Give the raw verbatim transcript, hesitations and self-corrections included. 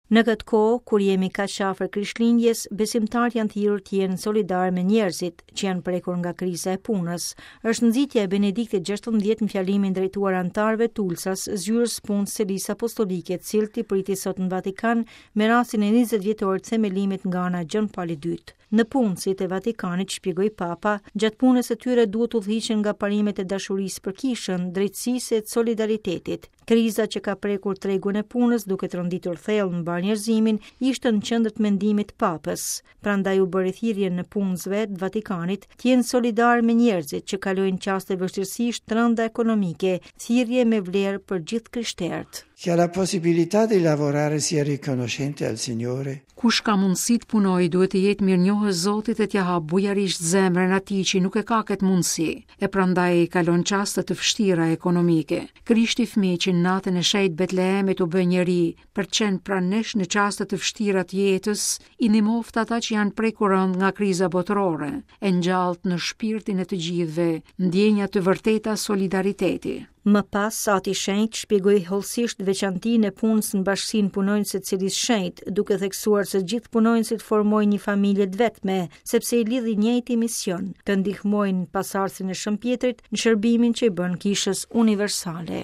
Në këtë kohë, kur jemi kaq afër Krishtlindjes, besimtarët janë thirrur të jenë solidar me njerëzit që janë prekur nga kriza e punës. Është nxitja e Benediktit gjashtëmbëdhjetë në fjalimin drejtuar anëtarëve të Ulsas, zyrës punës Selisë Apostolike, të cilët i priti sot në Vatikan me rastin e njëzet vjetorit të themelimit nga ana e Gjon Palit të Dytë. Nëpunësit e Vatikanit, shpjegoi Papa, gjatë punës së tyre duhet udhëhiqen nga parimet e dashurisë për kishën, drejtësisë e solidaritetit. Kriza që ka prekur tregun e punës duke tronditur thellë mbar njerëzimin ishte në qendër të mendimit të Papës. Prandaj u bëri thirrje nëpunësve të Vatikanit të jenë solidar me njerëzit që kalojnë çaste vështirësish të rënda ekonomike, thirrje me vlerë për gjithë krishterët. Chi ha la possibilità di lavorare sia riconoscente al Signore. Kush ka mundësi të punojë duhet të jetë mirënjohës Zotit e t'ia hap bujarisht zemrën atij që nuk e ka këtë mundësi, e prandaj kalon çaste të vështira ekonomike. Krishti fëmijë që në natën e shenjtë Betlehemit u bë njeri për të qenë pranë nesh në çaste të vështira të jetës, i ndihmoftë ata që janë prekur rënd nga kriza botërore, e ngjallt në shpirtin e të gjithëve ndjenja të vërteta solidariteti. Më pas, Ati Shenjt shpjegoi hollësisht veçantinë e punës në bashkësinë punonjëse të Selisë Shenjt, duke theksuar se gjithë punonjësit formojnë një familje të vetme, sepse i lidh i njëjti mision, të ndihmojnë pasardhësin e Shën Pjetrit në shërbimin që i bën kishës universale.